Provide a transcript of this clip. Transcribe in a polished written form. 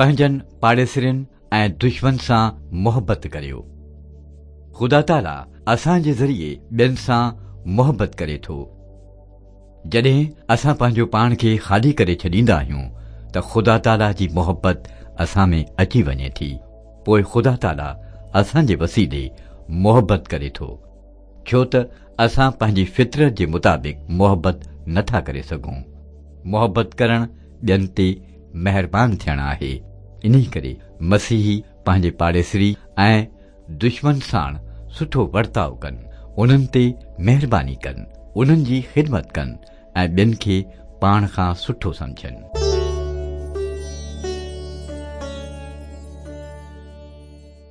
پنهنجن پاڙيسرين ۽ دشمن سان محبت ڪريو. خدا تعاليٰ اسان جي ذريعي ٻين سان محبت ڪري ٿو. جڏهن اسان پنهنجو پاڻ کي خالي ڪري ڇڏيندا آهيون ته خدا تعاليٰ جي محبت اسان ۾ اچي وڃي ٿي. پوء خدا تعاليٰ اسان جي وسيلي محبت ڪري ٿو. ڇو ته اسان پنهنجي فطرت جي مطابق محبت نه ٿا ڪري سگهون. محبت ڪرڻ ٻين تي مهربان ٿيڻ آهي. انهي ڪري مسيحي پنهنجي پاڙيسري ۽ دشمن ساڻ سٺو ورتاء ڪن، انهن تي مهرباني ڪن، انهن جي خدمت ڪن ۽ ٻين کي پاڻ کان سٺو سمجهن.